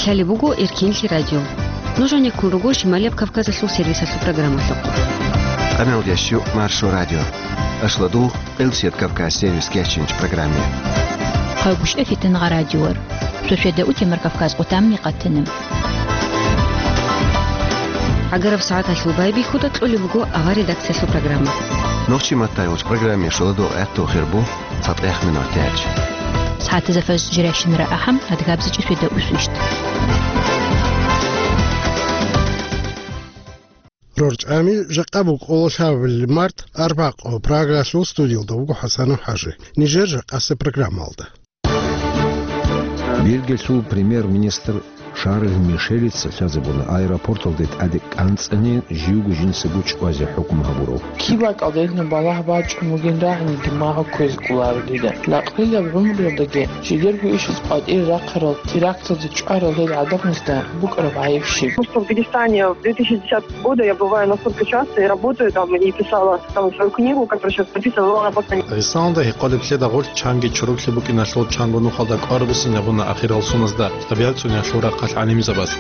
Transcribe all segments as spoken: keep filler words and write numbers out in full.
Лъалеб буго Эркинлъи радио. Нуж гьанеккун руго Шималияб Кавказалъул сервисалъул программалъухъ. Къамел ящу Маршо радио. Ашладу Къилсият Кавказ сервис кечинч программе. Хъайгущ эфитан радиор. Шошеда утемар Кавказ къутамни къатана. Агараб сагӀаталъул байбихьуда кьолеб буго авар редакциялъул программа. Нохчи маттай уч программе шоладу гӀехту хирбу. ЦатӀех минутач. СагӀатазда фажр жирайщинара ахӀам, адгабзичӀи сведа усвищт. РорчӀами жакъа букӀула лъабабилеб март, арбакъо, Прагалъул студиялда вуго ХӀасанов ХӀажи. Нижер жакъасеб программалда. Бельгиялъул премьер-министр Шарль Мишелица лъазабуна аэропорталде тӀаде кӀанцӀани живго жинцаго чӀвазе хӀукму гьабурав. Киб бакӀалда гьединаб балагь бачӀун бугин рагӀине димагьу кквезе кӀоларо дида. Лакълилаб гӀумруялдаги жидерго ишаз къватӀире рахъарал теракталде чӀварал гьел гӀадамазда букӀараб гӀайиб щиб? Потому что в Дагестане в две тысячи десятого года я бываю настолько часто и работаю там, и писала там свою книгу, которая сейчас написана, но она пока не Дагъистаналда гьекъолеблъида гъорлъ чанги чороклъи букӀиналъул чанго нухалда кӀвар буссинабуна ахирал суназда ТӀабигӀат цӀуниялъул рахъалъ гӀалимзабаз.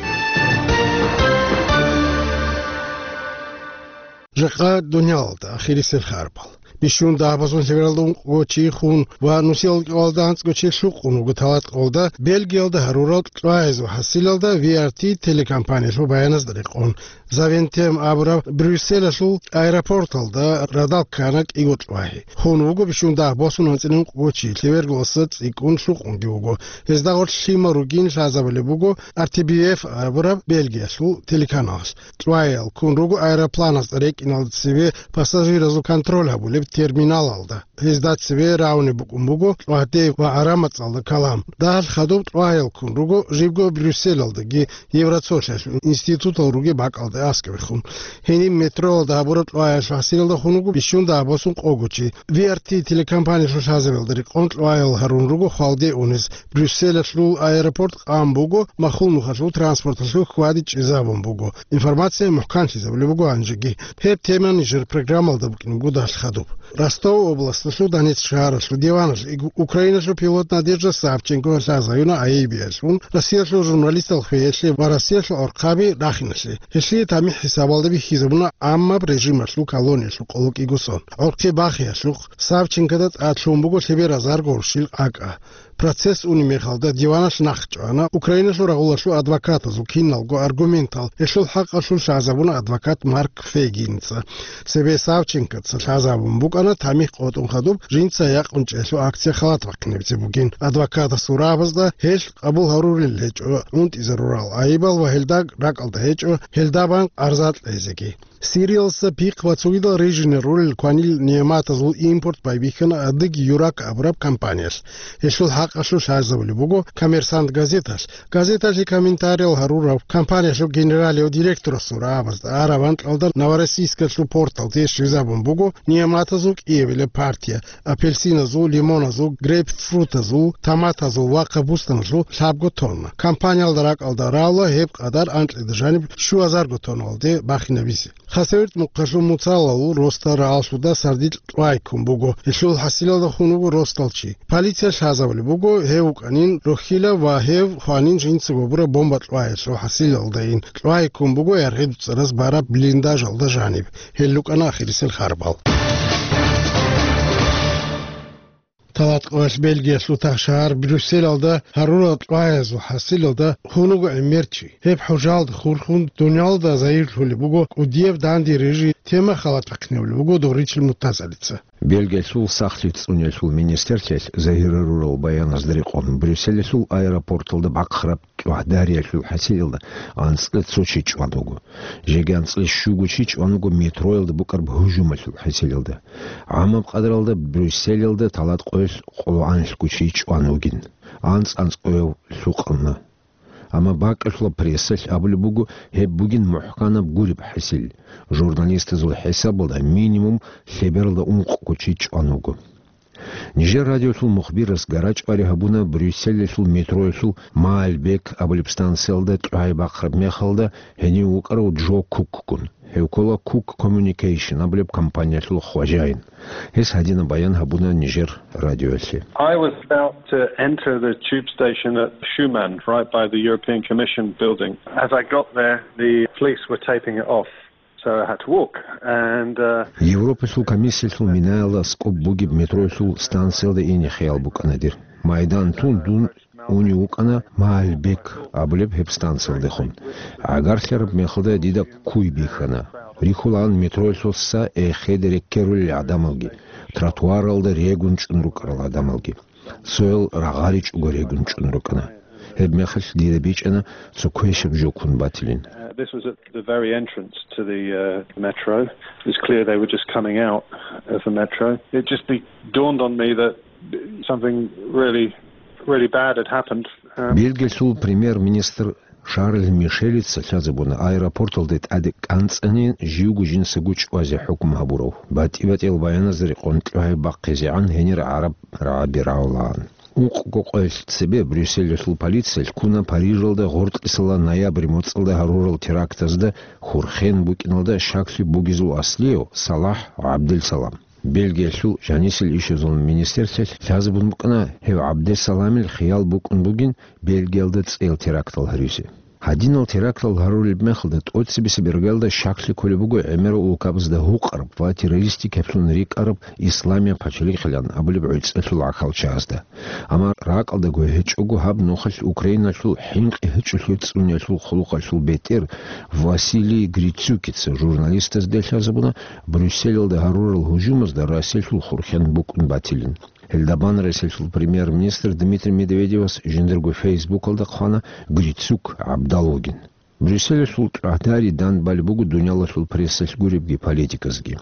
Жакъа дуниялалда ахирисел харбал. Бищун дагьабазун лъевералда ункъго чи хун ва нусиялда кӀикъоялда анцӀго чи лъукъун вуго талатӀкъоялда Бельгиялда гьарурал кьвагьазул хӀасилалда V R T телекомпаниялъул баяназда рекъон. Завентем абураб Брюсселалъул аэропорталда радал ккана кӀиго кьвагьи. Хун вуго бищун дагь босун анцӀила ункъго чи, лъеверго аса цӀикӀкӀун лъукъунги вуго. Гьезда гъорлъ лъимал ругин лъазабулеб буго R T B F абураб Бельгиялъул телеканалалъ. Кьвагьал ккун руго аэропланазда рекӀиналда цеве пассажиразул контроль гьабулеб терминалалда. Гьезда цеве рагӀунеб букӀун буго кьвагьде ва гӀарамацӀалда калам. Дагьалъ хадуб кьвагьал ккун руго жибго Брюсселалдаги Евроцолъиялъул институтал ругеб бакӀалда аскӀовехун. Гьениб метроялда гьабураб кьвагьалъул хӀасилалда хун вуго бищун дагь босун къого чи. V R T телекомпаниялъул лъазабиялда рекъон кьвагьал гьарун руго хвалде унес. Брюсселалъул аэропорт къан буго, махул нухалъул транспорталъул хьвади чӀезабун буго. Информация мухӀканлъизабулеб буго гьанжеги. Гьеб тема нижер программалда букӀине буго дагьалъ хадуб. Ростов областалъул Донецк шагьаралъул диваналъ иг-, Украиналъул пилот Надежда Савченко лъазаюна айибиялъун, Россиялъул журналистал хвеялъе ва Россиялъул гӀорхъаби рахиналъе. Гьелъие тамихӀ хӀисабалда бихьизабуна гӀаммаб режималъул колониялъул къоло кӀиго сон. ГӀорхъи бахиялъухъ Савченкода тӀад лъугьун буго лъеберазарго гъурщил акӀа. Процесс унеб мехалда диваналъ нахъ чӀвана Украиналъул рагъулалъул адвокатазул киналго аргументал. Гьелъул хӀакъалъулъ лъазабуна адвокат Марк Фейгинца. Цебе Савченкоца лъазабун букӀана тамихӀ къотӀун хадуб жинца якъун чӀеялъул акция халат бахъинабизе бугин. Адвокатасул рагӀабазда гьелъ къабул гьарулел гьечӀо, унтӀизарурал айибал ва гьелда ракӀалда гьечӀо, гьелда бан къарза кьезеги. Сириялдаса пихъ ва цогидал рижине ролел кванил нигӀматазул импорт байбихьана Адыги Юрак абураб компаниялъ. Гьелъул хӀакъалъулъ лъазабулеб буго Коммерсант газеталъ. Газеталъе комментариял гьарурав компаниялъул генералияв директорасул рагӀабазда араб анкьалда Новороссийскалъул порталде щвезабун буго нигӀматазул кӀиабилеб партия, апельсиназул, лимоназул, грейпфрутазул, томатазул ва капустаналъул лъабго тонна. Компаниялда ракӀалда рала гьеб къадар анкьида жаниб щуазарго тонналде бахинабизе. Хасавюрт мухъалъул Муцалалъул ростал рагӀаллъуда сардилъ кьвай ккун буго. Гьелъул хӀасилалда хун вуго ростал чи. Полиция лъазабулеб буго гьев вукӀанин рохьила ва гьев хванин жинцаго гьабураб бомба кьваялъул хӀасилалдайин. Кьвай ккун буго яргъи дуцӀараз бараб блиндажалда жаниб. Гьел рукӀана ахирисел харбал. Талатъоялъ Бельгиялъул тахшагьар Брюсселалда гьарурал кьваязул хӀасилалда хун вуго гӀемер чи. Гьеб хӀужалда хурхун дуниялда загьирлъулеб буго кӀудияб данде рижи, тема халат бахъинабулеб буго догъричил мутазалица. Бельгиялъул сахлъи цӀуниялъул министрлъиялъ загьир гьарурал баяназда рекъон, Брюсселалъул аэропорталда бахъараб кьвагьдариялъул хӀасилалда анцӀила цо чи чӀван вуго. Жеги анцӀила щуго чи чӀван вуго метроялда букӀараб гьужумалъул хӀасилалда. ГӀамаб къадралда Брюсселалда талатӀкъоялъ къоло анлъго чи чӀван вугин, анцӀ-анцӀкъояв лъукъана. Амма бакӀалъула прессалъ абулеб буго, гьеб бугин мухӀканаб гуреб хӀасил. Журналистазул хӀисабалда минимум лъебералда ункъго чи чӀван вуго. Нижер радиолъул мухбирас гарачӀвари гьабуна Брюсселалъул метроялъул Маальбек абулеб станциялда тӀугӀай бахъараб мехалда гьенив вукӀарав Джо Кукгун. Гьев ккола Cook Communication абулеб компаниялъул хважаин. Гьес гьадинаб баян гьабуна Нижер радиоялъе. I was about to enter the tube station at Schuman, right by the European Commission building. As I got there, the police were taping it off, so I had to walk. And, uh, Европалъул комиссиялъул минаялда аскӀоб бугеб метроялъул станциялда ине хиял букӀана дир. Майдан тун дун унев вукӀана Маальбек абулеб гьеб станциялдехун. ГӀагарлъараб мехалда дида куй бихьана. Рихьулаан метроялъул са эхеде рекерулел гӀадамалги, тротуаралда регун чӀун рукӀарал гӀадамалги. Цоял рагъаричӀого регун чӀун рукӀана. Гьеб мехалъ дида бичӀчӀана цо квешаб жо ккун батилин. Uh, this was at the very entrance to the, uh, metro. It was clear they were just coming out of the metro. It just be-, dawned on me that something really, really bad had happened. Um, Бельгиялъул премьер-министр Шарль Мишелица лъазабуна аэропорталде тӀаде кӀанцӀани живго жинцаго чӀвазе хӀукму гьабурав. БатӀи-батӀиял баяназда рекъон тӀугӀай бахъизегӀан гьенир гӀараб рагӀаби рагӀулаан. Ункъго къоялъ цебе Брюсселалъул полициялъ ккуна Парижалда гъоркьисала ноябрь моцӀалда гьарурал терактазда хурхен букӀиналда щаклъи бугезул аслияв Салахь ГӀабдел Салам. Бельгиялъул жанисел ишазул министрлъи лъазабун букӀана гьев ГӀабдел Саламил хиял букӀун бугин Бельгиялда цӀеял терактал гьаризе. Гьадинал терактал гьарулеб мехалда тӀоцебесеб иргаялда щаклъи кколеб буго гӀемерал улкабазда гьукъараб ва террористикаблъун рикӀкӀараб Исламияб пачалихъилан абулеб гӀицӀалъул гӀахьалчагӀазда. Амма ракӀалдаго гьечӀого гьаб нухалъ Украиналъул хӀинкъи гьечӀолъи цӀуниялъул хъулухъалъул бетӀер Василий Грицюкица журналистазде лъазабуна Брюсселалда гьарурал гьужумазда Россиялъул хурхен букӀун батилин. Гьелда бан Россиялъул премьер-министр Дмитрий Медведевас жиндирго Фейсбукалда хъвана Грицюк ГӀабдал вугин. Брюсселалъул тӀагӀдари данде балеб буго дуниялалъул прессалъ гуребги политиказги.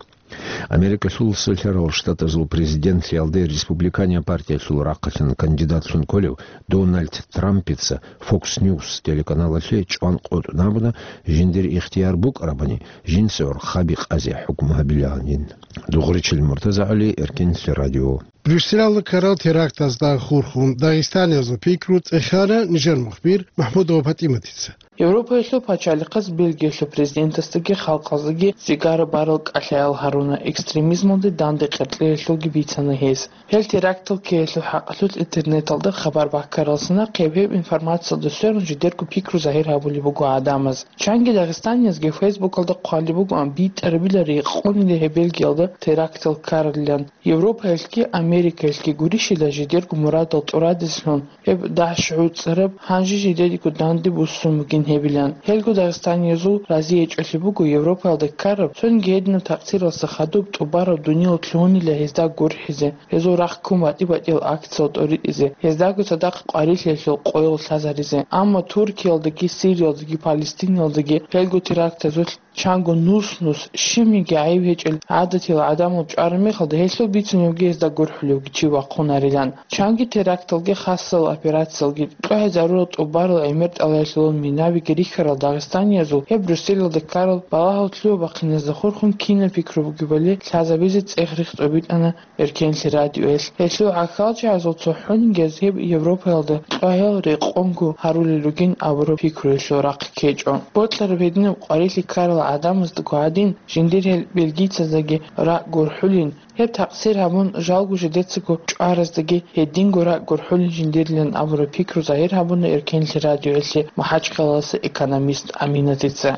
Америкалъул Централал Штатазул президентлъиялде республиканияб партиялъул рахъалъан кандидатлъун кколев Дональд Трампица Fox News телеканалалъе чӀван къотӀун абуна, жиндир ихтияр букӀарабани, жинца гӀорхъаби къазе хӀукму гьабиланин. Дугъричил Муртазагьали, Эркенлъи радио. Брюсселалда ккарал терактазда хурхун дагъистаниязул пикру цӀехана нижер мухбир МахӀмудова ПатӀиматица. Европаялъул пачалихъаз Бельгиялъул президентасдаги халкъаздаги цӀигара барал кӀалъаял гьаруна, экстремизмалде данде къеркьеялъулги бицана гьес. Гьел терактал ккеялъул хӀакъалъулъ интернеталда хабар баккаралса нахъе гьеб информациялда сверун жидерго пикру загьир гьабулеб буго гӀадамаз. Чанги дагъистаниязги Фейсбукалда хъвалеб бугоан битӀарабила рекъонила гьеб Бельгиялда терактал ккаралилан. Европаялъги Америкаялъги гурищила жидерго мурадал тӀурадеслъун, гьеб дагьа-щугӀуцӀараб гьанже жидедиго данде буссун бугин гьебилан. Гьелго дагъистаниязул разиячӀолъи буго Европаялда ккараб, цониги гьединаб такъсиралса хадуб тӀубараб дуниял лъугьунила гьезда гурхӀизе, гьезул рахъ ккун батӀи-батӀиял акциял тӀоритӀизе, гьездаго цадахъ къварилъиялъул къоял лъазаризе. Амма Туркиялдаги, Сириялдаги, Палестинаялдаги гьелго терактазулъ чанго нус-нус, щибниги гӀайиб гьечӀел гӀадатиял гӀадамал чӀвараб мехалда, гьелъул бицуневги гьезда гурхӀулевги чи вахъунарилан. Чанги теракталги хасал операциялги кьвагьа зарурал тӀубарал гӀемер тӀалаялъулал минабиги рихьарал дагъистаниязул гьеб Брюсселалда ккарал балагьал лъугьа-бахъиназда хурхун кинаб пикру бугебали лъазабизе цӀех-рихь тӀобитӀана Эркенлъи радиоялъ. Гьелъул гӀахьалчагӀазул цохӀонигияз гьеб Европаялда кьвагьал рекъонго гьарулел ругин абураб пикруялъул рахъ ккечӀо. Бокьараб гьединаб къварилъи ккарал гӀадамаздаго гьадин, жиндир гьел бельгийцаздаги ракӀ гурхӀулин, гьеб такъсир гьабун, жалго жидецаго чӀвараздаги гьединго ракӀ гурхӀулин жиндирилан абураб пикру загьир гьабуна Эркенлъи радиоялъе МахӀачхъалаласа экономист Аминатица.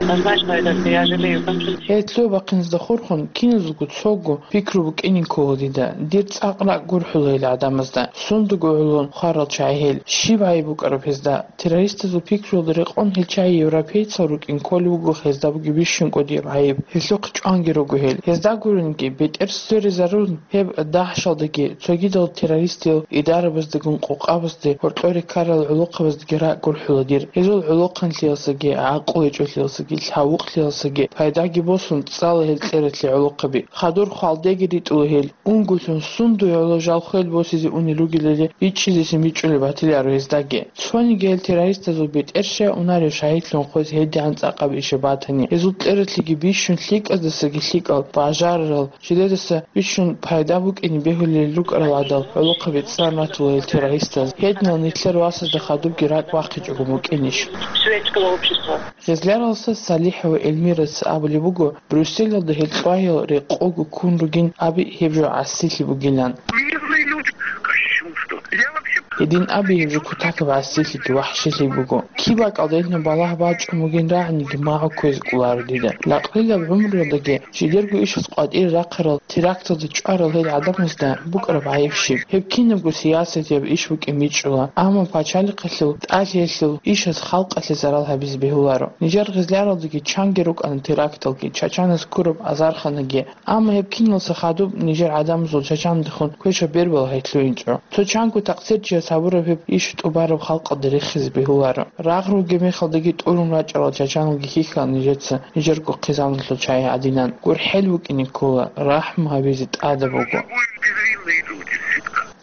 Гьелъул бахъиназда хурхун киназулго цого пикру букӀинин ккола дида. Дир цӀакъ ракӀ гурхӀула гьел гӀадамазда. Сундаго гӀоло хварал чагӀи гьел. Щиб гӀайиб букӀараб гьезда? Террористазул пикруялда рекъон гьел чагӀи европейцал рукӀин кколеб буго гьезда бугеб бищун кӀудияб гӀайиб. Гьелъухъ чӀванги руго гьел. Гьезда гурониги, бетӀер сверизарун, гьеб дагьшалдаги, цогидал террористиял идарабаздагун къокъабазде, гьоркьоре ккарал гӀолохъабаздаги ракӀ гурхӀула дир. Гьезул гӀолохъанлъиялсаги, гӀакълу гьечӀолъиялсаги, лъавукълъиялсаги пайдаги босун цӀала гьел кьератлъи гӀолохъаби. Хадур хвалдеги ритӀула гьел. Унгулъун сундуе гӀоло жал хвел босизе унел ругелали бичӀчӀизесин бичӀчӀулеб батиларо гьездаги. Цониги гьел террористазул бетӀер щай унарев шагьидлъун хвез гьедигӀан цӀакъаб иша батани, гьезул кьератлъиги бищун лъикӀаздасаги лъикӀал бажарарал, жидедаса бищун Щун пайда букӀине бегьулел рукӀарал гӀадал гӀолохъаби цӀан ратула гьел террористаз. Гьединал нилъер васазда хадубги ракӀ бахъичӀого букӀинищ? Человеческого общества. Гъезляралса СалихӀ ва Эльмираца абулеб буго, Брюсселалда гьел кьвагьал рекъого ккун ругин аби гьеб жо гӀасилъи бугилан. Мирные люди, кощунство. Я вообще Гьедин аби гьеб жо кутакаб гӀасилъиги вахӀшилъи буго. Киб бакӀалда гьединаб балагь бачӀун бугин рагӀаниги магӀу кквезе кӀоларо дида. Лакълилаб гӀумруялдаги жидерго ишаз къватӀире рахъарал теракталда чӀварал гьел гӀадамазда букӀараб гӀайиб щиб? Гьеб кинабго сиясатияб иш букӀин бичӀчӀула, амма пачалихъалъул тӀалъиялъул ишаз халкъалъе зарал гьабизе бегьуларо. Нижер гъезляралдаги чанги рукӀана теракталги, Чачанас ккураб азарханаги, амма гьеб киналса хадуб нижер гӀадамазул Чачандехун квешаб бербалагьи лъугьинчӀо. Цо чанго такъсирчияс гьабураб гьеб иш тӀубараб халкъалда рехизе бегьуларо. Рагъ ругеб мехалдаги тӀурун рачӀарал чачаналги хьихьана нижеца нижерго хъизаналъул чагӀи гӀадинан. ГурхӀел букӀине ккола, рахӀму гьабизе тӀадаб буго.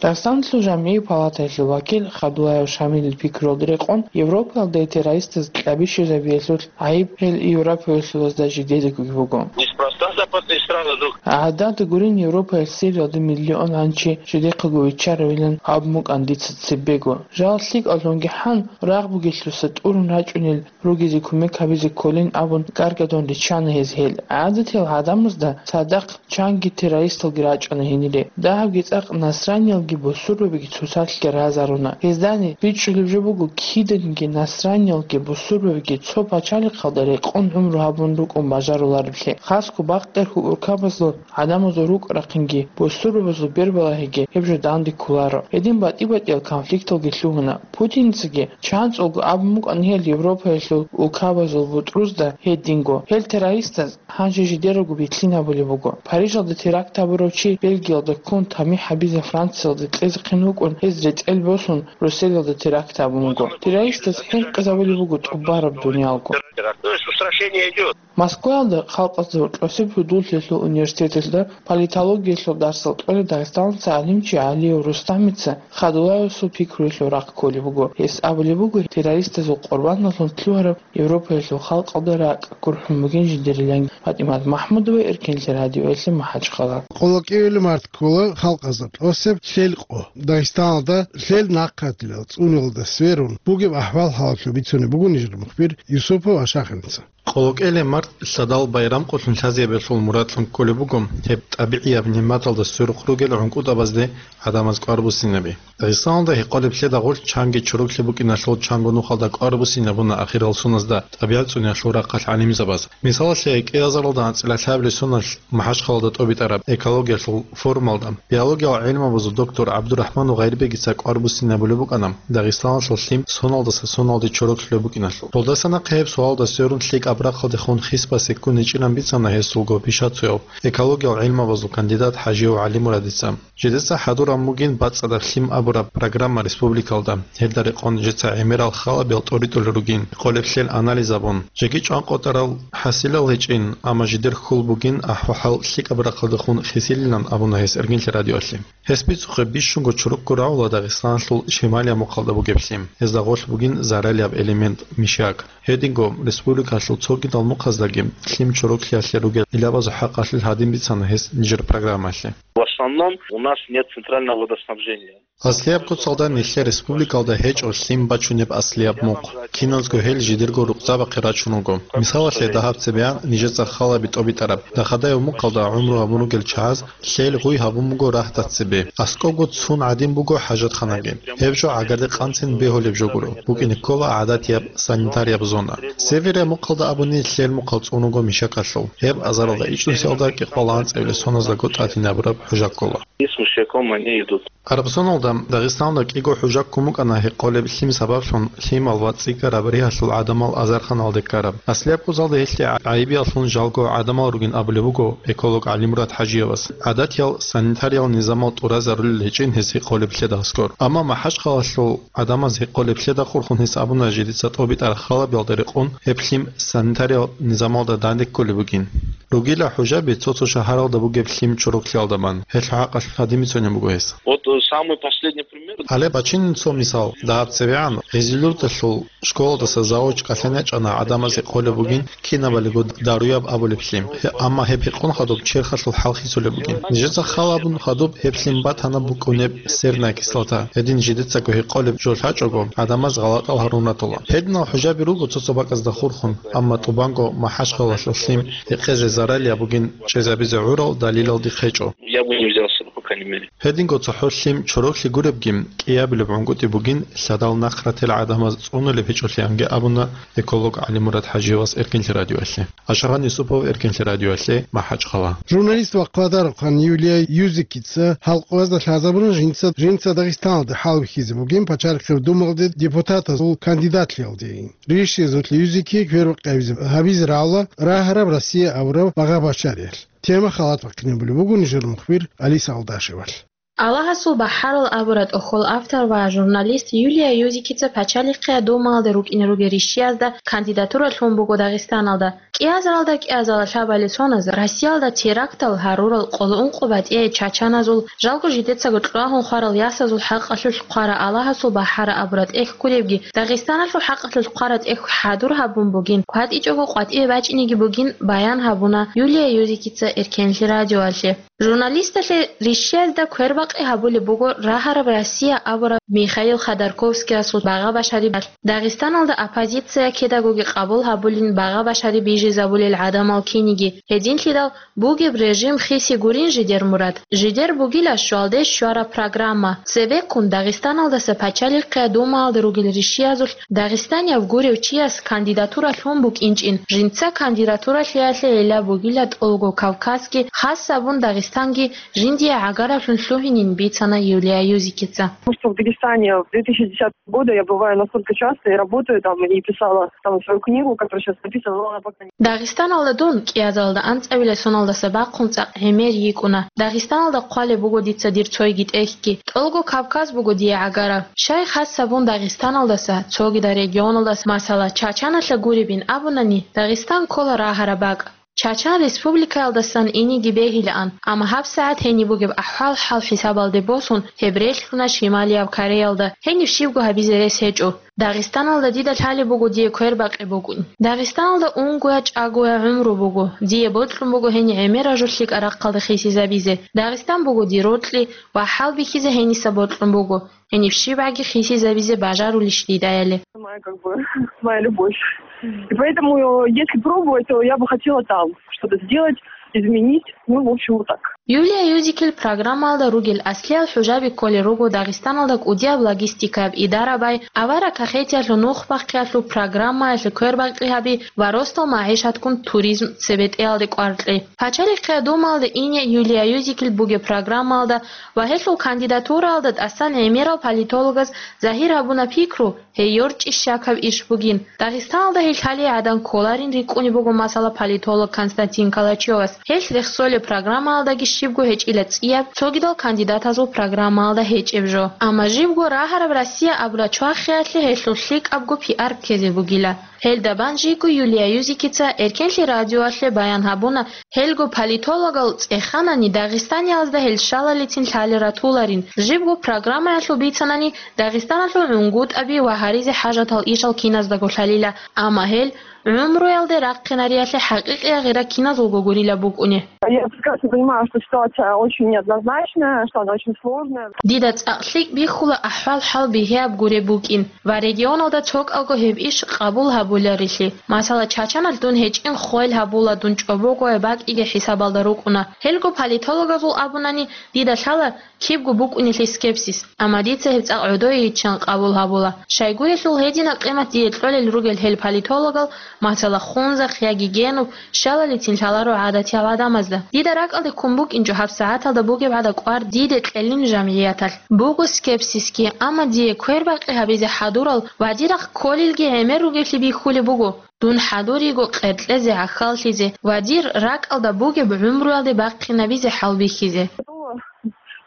Дагъистаналъул жамгӀиял палатаялъул вакил Хадулаев Шамилил пикруялда рекъон, Европаялда террористаз кьабищизабиялъул гӀайиб гьел европаялъулазда жидедагоги буго. Неспроста западные страны друг. ГӀадада гурин, Европаялъ Сириялда миллион гӀанчи жидехъаго виччаравилан абун букӀан дица цебего. Жал лъикӀаллъунги хӀан, рагъ бугелъуса тӀурун рачӀунел ругезе кумек гьабизе кколин абун, гаргадун риччана гьез гьел. ГӀадатиял гӀадамазда цадахъ чанги террористалги рачӀана гьенире. Дагьабги цӀакъ насраниялги бусурбабиги цоцалъ гьаразаруна. Гьездани бичӀчӀулеб жо буго, киданиги насраниялги бусурбабиги цо пачалихъалда рекъон гӀумру гьабун рукӀун бажарулареблъи. Хасго бакъерхьул уркабазул гӀадамазул рукӀа-рахъинги бусурбабазул бербалагьиги гьеб жо данде кколаро. Гьедин батӀи-батӀиял конфликталги лъугьуна. Путинцаги чанцӀулго абун букӀана гьел Европаялъул улкабазул бутӀрузда гьединго. Гьел террористаз гьанже жидералго билълъин гьабулеб буго. Парижалда теракт гьабурав чи Бельгиялда ккун, тамихӀ гьабизе Франциялда кьезехъин вукӀун, гьез ретӀел босун, Брюсселалда теракт гьабун вуго. Террористаз хӀинкъизабулеб буго тӀубараб дуниялго. То есть устрашение идёт. Москваялда халкъазда гьоркьосеб гьудуллъиялъул университеталда политологиялъул дарсал кьолев Дагъистаналъул гӀалимчи ГӀалиев Рустамица Хадулаевасул пикруялъул рахъ кколеб буго. Гьес абулеб буго, террористазул къурбаналлъун лъугьараб Европаялъул халкъалда ракӀ гурхӀун бугин жидерилан. ПатӀимат МахӀмудова, Эркенлъи радиоялъе, МахӀачхъала. Къоло кӀиявилеб март ккола халкъазда тӀосеб лъел къо. Дагъистаналда лъел нахъатилал цӀунулда сверун бугеб ахӀвал-хӀалалъул бицунеб буго нижер мухбир Юсупов Ашахиница. Къоло кӀиявилеб март лъадал байрам къулъун лъазабиялъул мурадлъун кколеб буго гьеб тӀабигӀияб нигӀматалда сверухъ ругел гӀункӀутӀабазде гӀадамаз кӀвар буссинаби. Дагъистаналда гьекъолеб лъеда гъорлъ чанги чороклъи букӀиналъул чанго нухалда кӀвар буссинабуна ахирал соназда тӀабигӀат цӀуниялъул рахъалъ гӀалимзабаз. Мисалалъе, кӀиазаралда анцӀила лъабилеб соналъ МахӀачхъалада тӀобитӀараб экологиялъул форумалда биологиял гӀилмабазул доктор ГӀабдурахӀманов Гъайрбегица кӀвар буссинабулеб букӀана Дагъистаналъул лъим соналдаса соналде чороклъулеб букӀиналъул. Долдаса нахъе гьеб суалда сверун лъикӀаб рахъалдехун хисбасе ккун гьечӀилан бицана гьесулго пишацояв, экологиял гӀилмабазул кандидат ХӀажиев ГӀалимурадица. Жидеца хӀадураб бугин БацӀцӀадаб лъим абураб программа республикалда. Гьелда рекъон жеца гӀемерал халабиял тӀоритӀулел ругин, къолеб лъел анализ абун. Жеги чӀванкъотӀарал хӀасилал гьечӀин, амма жидер хьул бугин ахӀвал-хӀал лъикӀаб рахъалдехун хисилилан абуна гьес Эркенлъи радиоялъе. Гьес бицухъе бищунго чорокго рагӀула Дагъистаналъул шималияб мухъалда бугеб лъим. Гьезда гъорлъ бугин заралияб элемент мишак. Гьединго республикалъул цогидал мухъаздаги лъим чороклъиялъе ругел гӀилабазул хӀакъалъулъ гьадин бицана гьес нижер программаялъе. В основном у нас нет центрального водоснабжения. Аслияб куцалда нилъер республикалда гьечӀо лъим бачунеб аслияб мухъ. Киназго гьел жидерго рукъзабахъе рачун руго. Мисалалъе, дагьаб цебегӀан нижеца халаби тӀобитӀараб Дахадаев мухъалда гӀумру гьабун ругел чагӀаз лъел гъуй гьабун буго рагьдат цебе, аскӀобго цун гӀадин буго хӀажатханаги. Гьеб жо гӀагарде къанцин бегьулеб жо гуро, букӀине ккола гӀадатияб санитарияб зона. Северия мухъалда абуни лъел мухъал цӀун руго мишакалъул. Гьеб азаралда ичӀнусиялда кӀикъоялда анцӀабилеб соназдаго тӀадинабураб хӀужа ккола. И с мышьяком они идут. Араб соналда Дагъистаналда кӀиго хӀужа ккун букӀана гьекъолеб лъим сабаблъун лъимал ва цӀикӀкӀараб ригьалъул гӀадамал азарханалде ккараб. Аслияб куцалда гьелъие гӀайибияллъун жалго гӀадамал ругин абулеб буго эколог ГӀалимурад ХӀажиевас. ГӀадатиял санитариял низамал тӀуразарулел гьечӀин гьес гьекъолеб лъеда аскӀор. Амма МахӀачхъалалъул гӀадамаз гьекъолеб лъеда хурхун гьес абуна жидеца тӀобитӀараб халабиялда рекъон гьеб лъим санитариял низамалда данде кколеб бугин. Ругила хӀужаби цо-цо шагьаралда бугеб лъим чороклъиялда бан. Гьелъул хӀакъалъулъ гьадин бицунеб буго гьес. Вот Самый последний пример. Гьале бачинин цо мисал. Дагьаб цебегӀан Гъизилурдалъул школалдаса завуч кӀалъан ячӀана гӀадамазе къолеб бугин кинабалиго даруяб абулеб лъим. Гье, амма гьеб гьекъон хадуб черхалъул хӀал хисулеб бугин. Нижеца хал абун хадуб гьеб лъим батана букӀунеб серная кислота. Гьедин жидецаго гьекъолеб жо лъачӀого, гӀадамаз гъалатӀал гьарун ратула. Гьединал хӀужаби руго цо-цо бакӀазда хурхун, амма тӀубанго МахӀачхъалалъул лъим гьекъезе заралияб бугин чӀезабизе гӀурал далилал дихъ гьечӀо. Я бы не взялся бы, по крайней мере. Гьединго цохӀо лъим чороклъи гуребги, кӀиабилеб гӀунгутӀи бугин, лъадал нахърател гӀадамаз цӀунулеб гьечӀолъиянги абуна эколог ГӀалимурад ХӀажиевас Эркенлъи радиоялъе. Ашагъан Юсупов, Эркенлъи радиоялъе, МахӀачхъала. Журналист ва хъвадарухъан Юлия Юзикица гьалкъуязда лъазабуна жинца, жинца Дагъистаналде хӀалбихьизе бугин пачалихъеб думалде депутатазул кандидатлъиялде. Ришиязулъ Юзики квербакъи гьабизе, гьабизе рагӀула рагьараб Россия абураб багъа-башариялъ. Тема халат бахъинабулеб буго нижер мухбир Алиса Алдашевалъ. Аллагьасул бахӀарал абураб тӀохьол автор ва журналист Юлия Юзикица пачалихъе думалде рукӀине ругел ришиязда кандидатура лъун буго Дагъистаналда. КӀиазаралда кӀиазала лъабали соназ Россиялда терактал гьарурал къоло ункъо батӀияй чачаназул, жалго жидецаго кьвагьун хварал ясазул хӀакъалъулъ хъвараб Аллагьасул бахӀараб абураб тӀехь гуребги, Дагъистаналъул хӀакъалъулъ хъвараб тӀехь хӀадур гьабун бугин, кватӀичӀого къватӀиве бачӀинеги бугин баян гьабуна Юлия Юзикица Эркенлъи радиоялъе. Журналисталъе ришиязда квербакъи гьабулеб буго рагьараб Россия абураб Михаил Ходорковскиясул багъа-башариялъ. Дагъистаналда оппозиция кидагоги къабул гьабулин багъа-башари бижизабулел гӀадамал киниги. Гьединлъидал бугеб режим хиси гурин жидер мурад. Жидер бугила щвалде щвараб программа. Цебеккун Дагъистаналдаса пачалихъе думаялда ругел ришиязулъ Дагъистанияб гурев чияс кандидатура лъун букӀинчӀин, жинца кандидатуралъиялъе гӀилла бугила ТӀолго Кавказги, хас абун Дагъистанги жиндие гӀагараблъун лъугьинин бицана Юлия Юзикица. Потому что в Дагестане в две тысячи десятого года я бываю настолько часто и работаю там, и писала там свою книгу, которая сейчас написана, но она пока не Дагъистаналда дун кӀиазалда анцӀабилеб соналдаса бахъун цӀакъ гӀемер йикӀуна. Дагъистаналда хъвалеб буго дица дир цойги тӀехьги. ТӀолго Кавказ буго дие гӀагараб. Щай хас абун Дагъистаналдаса, цогидал регионалдаса, масала, Чачаналъа гуребин абунани, Дагъистан ккола рагьараб бакӀ. Чачан республикаялдасан инеги бегьилаан, амма гьабсагӀат гьениб бугеб ахӀвал-хӀал хӀисабалде босун, гьеб релълъуна Шималияб Кореялда, гьениб щибго гьабизе рес гьечӀо. Дагъистаналда дида лъалеб буго дие квербакъи букӀин. Дагъистаналда унгоя-чӀагоя гӀумру буго, дие бокьун буго гьениб гӀемераб жо лъикӀаб рахъалда хисизабизе. Дагъистан буго дир рокьи ва хӀалбихьизе гьениса бокьун буго. Гьениб щибгӀаги хисизабизе бажарулищ дидаяли. Моя, как бы, моя любовь. И поэтому, э, если пробовать, то я бы хотела там что-то сделать, изменить. Ну, в общем, вот так. Юлия Юзикил программалда ругел аслиял хӀужаби кколел руго Дагъистаналда кӀудияб логистикаяб идарабай, авараг кахетиялъул нух бахъиялъул программаялъе квербакъи гьаби ва росдал магӀишатккун туризм цебетӀеялде кӀвар кьей. Пачалихъе думалда ине Юлия Юзикил бугеб программалда ва гьелъул кандидатуралда тӀасан гӀемерал политологаз загьир гьабуна пикру, гьей йорчӀищ щакаб иш бугин. Дагъистаналда гьел лъалей гӀадан кколарин рикӀкӀунеб буго, масала, политолог Константин Калачевас. Гьелъ рехсолеб программаялдаги щибго гьечӀила цӀияб, цогидал кандидатазул программаялда гьечӀеб жо. Амма жибго рагьараб Россия абураб чвахиялъе гьелъул лъикӀабго пиар ккезе бугила. Гьелда бан жийго Юлия Юзикица Эркенлъи радиоялъе баян гьабуна, гьелго политологал цӀеханани Дагъистаниязда гьел щалалицин лъалел ратуларин, жибго программаялъул бицанани Дагъистаналъул гӀунгутӀаби ва гьаризе хӀажатал ишал киназдаго лъалила, амма гьел гӀумруялде рахъинариялъе хӀакъикъияб гъира киназулго гурила букӀуни. Я прекрасно понимаю, что ситуация очень неоднозначная, что она очень сложная. Дида цӀакъ лъикӀ бихьула ахӀвал-хӀал бигьияб гуреб букӀин ва регионалда цокӀалго гьеб иш къабул гьабуларилъи. Масала, Чачаналъ дун гьечӀин хвел гьабула дун чӀобого бакӀиги хӀисабалда рукӀуна. Гьелго политологазул абунани, дида лъала кибго букӀунелъе скепсис, амма дица гьеб цӀакъ гӀодойиччан къабул гьабула. Щайгурелъул гьединаб къимат дие кьолел ругел гьел политологал, масала, Хунзахъ яги Генуб, щалалицин лъаларо гӀадатиял гӀадамазда. Дида ракӀалде ккун букӀинчӀо гьабсагӀаталда бугеб гӀада кӀвар диде кьелин жамгӀияталъ. Буго скепсисги, амма дие квербакъи гьабизе хӀадурал ва дирахъ кколелги гӀемер ругелъи бихьулеб буго. Дун хӀадуриго къеркьезе, гӀахьаллъизе ва дир ракӀалда бугеб гӀумруялде бахъинабизе хӀалбихьизе.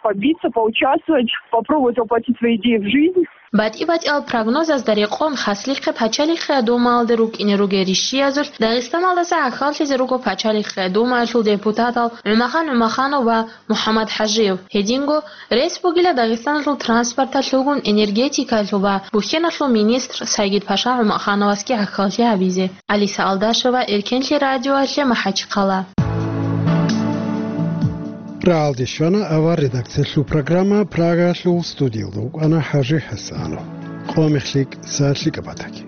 Побиться, поучаствовать, попробовать воплотить свои идеи в жизнь. БатӀи-батӀиял прогнозазда рекъон, хаслихъе Пачалихъе Думаялде рукӀине ругел ришшиязулъ Дагъистаналдаса гӀахьаллъизе руго Пачалихъе Думаялъул депутатал ГӀумахан ГӀумаханов ва МухӀаммад ХӀажиев. Гьединго рес бугила Дагъистаналъул транспорталъулгун энергетикалъул ва бухьеналъул министр Сайгид-Паша ГӀумахановасги гӀахьаллъи гьабизе. Алиса Алдашева, Эркенлъи радиоялъе, МахӀачхъала. РагӀалде щвана авар редакциялъул программа, Прагаялъул студиялда вукӀана ХӀажи ХӀасанов. Къо мехлъи, са лъикӀаб батаги.